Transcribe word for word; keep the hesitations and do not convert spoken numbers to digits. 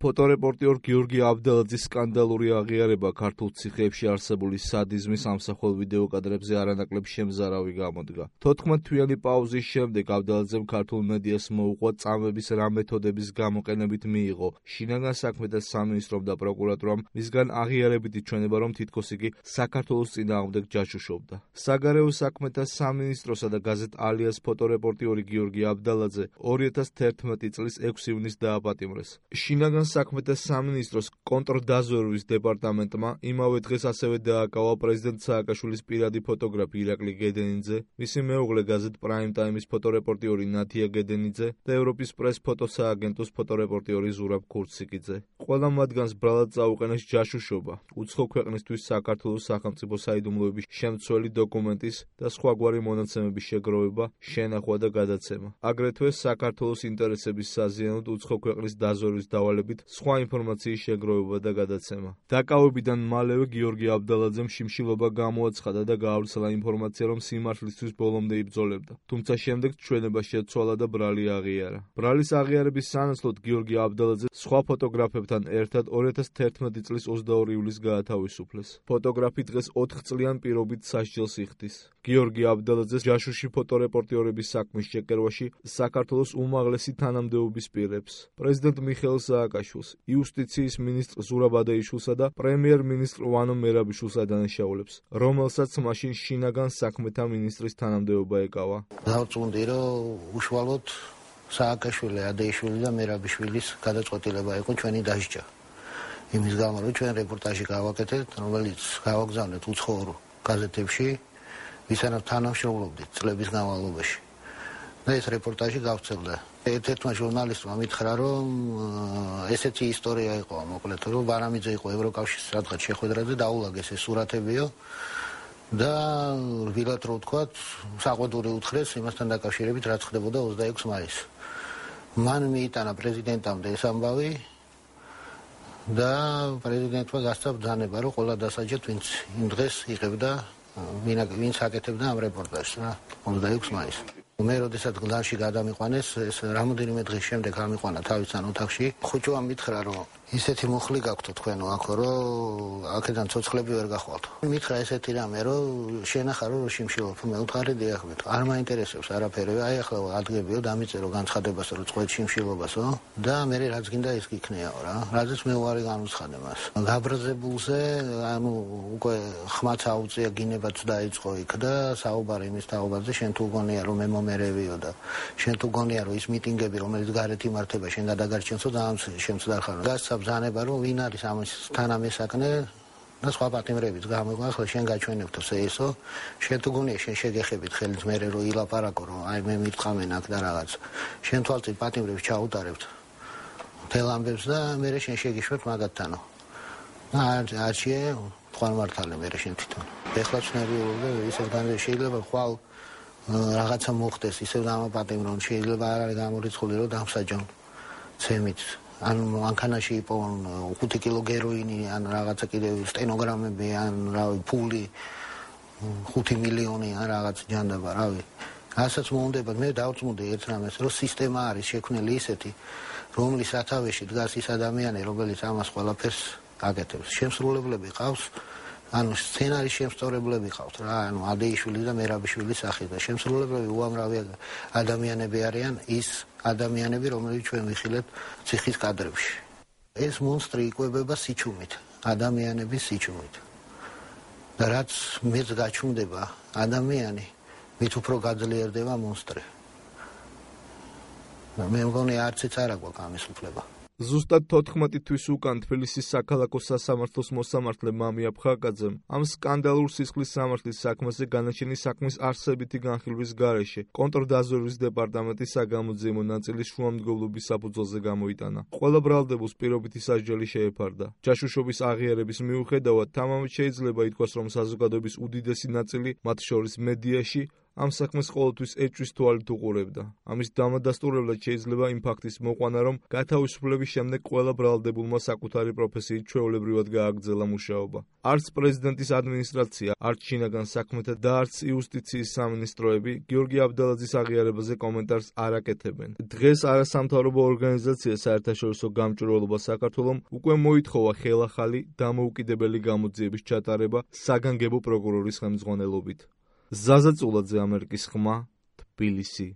ფოტორეპორტიორ გიორგი აბდალაძის სკანდალური აღიარება ქართულ ციხეებში არსებული სადიზმის ამსახველ ვიდეო კადრებზე არანაკლებ შემზარავი გამოდგა. თოთხმეტთვიანი პაუზის შემდეგ აბდალაძემ ქართულ მედიას მოუყვა წამების რა მეთოდების გამოყენებით მიიღო შინაგან საქმეთა სამინისტრომ და პროკურატურამ მისგან აღიარებითი ჩვენება, რომ თითქოს იგი საქართველოს წინააღმდეგ ჯაშუშობდა. საგარეო საქმეთა სამინისტროსა და გაზეთ ალიას ფოტორეპორტიორი გიორგი აბდალაძე ორი ათას თერთმეტი წლის ექვსი ივნისს დააპატიმრეს. შინაგან საქმეთა სამინისტროს კონტრდაზვერვის დეპარტამენტმა იმავე დღეს ასევე დააკავა პრეზიდენტ სააკაშვილის პირადი ფოტოგრაფი ირაკლი გედენიძე, მისი მეუღლე გაზეთ პრაიმ ტაიმის ფოტორეპორტიორი ნათია გედენიძე და ევროპის პრეს ფოტოსააგენტოს ფოტორეპორტიორი ზურაბ ქურციკიძე. ყველა მათგანს ბრალად წაუყენეს ჯაშუშობა, უცხო ქვეყნისთვის საქართველოს სახელმწიფო საიდუმლოების შემცველი დოკუმენტის და სხვაგვარი მონაცემების შეგროვება, შენახვა და გადაცემა. აგრეთვე საქართველოს ინტერესების საზიანოდ უცხო ქვეყნის დაზვერვის დავალებით სხვა ინფორმაციის შეგროვება და გადაცემა. დაკავებიდან მალევე გიორგი აბდალაძემ შიმშილობა გამოაცხადა და გაავრცელა ინფორმაცია, რომ სიმართლისთვის ბოლომდე იბრძოლებდა. თუმცა შემდეგ ჩვენება შეცვალა და ბრალი აღიარა. ბრალის აღიარების სანაცვლოდ გიორგი აბდალაძე სხვა ფოტოგრაფებთან ერთად ორი ათას თერთმეტი წლის ოცდაორი ივლისს გაათავისუფლეს. ფოტოგრაფი დღეს ოთხ წლიან პირობით სასჯელს იხდის. გიორგი აბდალაძეს ჯაშუში ფოტორეპორტიორების საქმის შეკერვაში საქართველოს უმაღლესი თანამდებობის პირებს, პრეზიდენტ მიხეილ სააკაშვილს, იუსტიციის მინისტრ ზურაბ ადეიშვილსა და პრემიერ-მინისტრ ვანო მერაბიშვილს ადანაშაულებს, რომელსაც მაშინ შინაგან საქმეთა მინისტრის თანამდებობა ეკავა. დავწუნდი, რომ უშუალოდ სააკაშვილი, ადეიშვილი და მერაბიშვილის გადაწყვეტილება იყო ჩვენი დასჯა. იმის გამო, რომ ჩვენ რეპორტაჟი გავაკეთეთ, რომელიც გავაგზავნეთ უცხოურ გაზეთებში, ვისთანაც თანამშრომლობდით წლების განმავლობაში. და ეს რეპორტაჟი გავცელდა. ერთ-ერთმა ჟურნალისტმა მითხრა, რომ ესეთი ისტორია იყო, მოკლედ, რომ ბარამიძე იყო ევროკავშირის რაღაც შეხვედრაზე, დაულაგეს ეს სურათებიო და რბილად რო ვთქვათ, საყვედური უთხრეს იმასთან დაკავშირებით, რაც ხდებოდა ოცდაექვსი მაისს. მან მიიტანა პრეზიდენტამდე ეს ამბავი და პრეზიდენტმა გასცა ბრძანება, რომ ყველა დასაჯეთ, ვინც იმ დღეს იღებდა, ვინც აკეთებდა ამ რეპორტაჟს რა, ოცდაექვსი მაისს. მე როდესაც გლანში გადამიყვანეს, ეს რამოდენიმე დღის შემდეგ ამიყვანა თავისთან ოთახში. ხუჭმა მითხრა, რომ ისეთი მუხლი გაქვთ თქვენო აქ, რომ აქედან ცოცხლები ვერ გახვალთ. მითხრა ესეთი რამე, რომ შენახა რომ შიმშილობ, მე ვთქარი დიახმეთ. არ მაინტერესებს არაფერი. აი ახლა ადგებიო, დამიწერო განცხადებას, რომ წყვეთ შიმშილობასო და მე რაც გინდა ის გიქნიაო რა. რაზეც მე უარი განუცხადე მას. გაბრაზებულზე, ანუ უკვე ხმაც აუწია, გინებაც დაიწყო იქ და საუბარი იმის თაობაზე, შენ თუ გონია რომ მე მომერევიო და შენ თუ გონია რომ ის მიტინგები, რომელიც გარეთ იმართება, შენ გადაგარჩენსო და ამ შემცდარ ხარ. გასცა ბრძანება, რომ ვინ არის ამის თანამესაკნე და სხვა პატიმრებიც გამოიყვა, ახლა შენ გაჩვენებთო ესო, შენ თუ გონია შენ შეგეხებით ხელით მერე რომ ილაპარაკო, რომ აი მე მიტყამენ აქ და რაღაც. შენ თვალწინ პატიმრებს ჩაუტარებთ მთელ ამბებს და მერე შენ შეგიშვებ მაგათთანო. არჩიე თქვენ მართალე მერე შენ თვითონ. ეხლა ცნებიულობ და ისევ განზე შეიძლება ხვალ რაღაცა მოხდეს, ისევ დამაპატიმრონ, შეიძლება არ არის გამორიცხული, რომ დამსაჯონ ცემით. ან მანქანაში იპოვონ ხუთი კილო გეროინი, ან რაღაცა კიდევ სტენოგრამები, ან რავი ფული, ხუთი მილიონი, ან რაღაც ჯანდაბა, რავი. ასაც მოუნდება, მე დავწმუნდი ერთ რამეს, რომ სისტემა არის შექმნილი ისეთი, რომლის სათავეში დგას ის ადამიანი, რომელიც ამას ყველაფერს აკეთებს. შემსრულებლები ყავს, ანუ სცენარის შემსწორებლები ყავთ რა, ანუ ადეიშვილი და მერაბიშვილის სახით და შემსრულებლები უამრავი ადამიანები არიან, ის ადამიანები, რომლებიც ჩვენ ვიხილეთ ციხის კადრებში. ეს მონსტრი იკვებება სიჩუმით, ადამიანების სიჩუმით. და რაც მეც გაჩუმდება ადამიანი, მით უფრო გაძლიერდება მონსტრი. მე მგონი არციც არ აქვს ამის უფლება. ზუსტად თოთხმეტი თვის უკან თბილისის საქალაქო სასამართლოს მოსამართლე მამია ფხაკაძემ ამ სკანდალურ სისხლის სამართლის საქმეზე განაჩენი საქმის არსებითი განხილვის გარეშე კონტრდაზვერვის დეპარტამენტის საგამოძიებო ნაწილის შუამდგომლობის საფუძველზე გამოიტანა. ყველა ბრალდებულს პირობითი სასჯელი შეეფარდა. ჯაშუშობის აღიარების მიუხედავად, თამამად შეიძლება ითქვას, რომ საზოგადოების უდიდესი ნაწილი, მათ შორის მედიაში, ამ საქმეს ყოველთვის ეჭვის თვალით უყურებდა. ამის დამადასტურებლად შეიძლება იმ ფაქტის მოყვანა, რომ გათავისუფლების შემდეგ ყველა ბრალდებულმა საკუთარი პროფესიით ჩვეულებრივად გააგრძელა მუშაობა. არც პრეზიდენტის ადმინისტრაცია, არც შინაგან საქმეთა და არც იუსტიციის სამინისტროები გიორგი აბდალაძის აღიარებაზე კომენტარს არ აკეთებენ. დღეს არასამთავრობო ორგანიზაცია საერთაშორისო გამჭვირვალობა საქართველომ უკვე მოითხოვა ხელახალი დამოუკიდებელი გამოძიების ჩატარება საგანგებო პროკურორის ხელმძღვანელობით. ზაზა წულაძე, ამერიკის ხმა, თბილისი.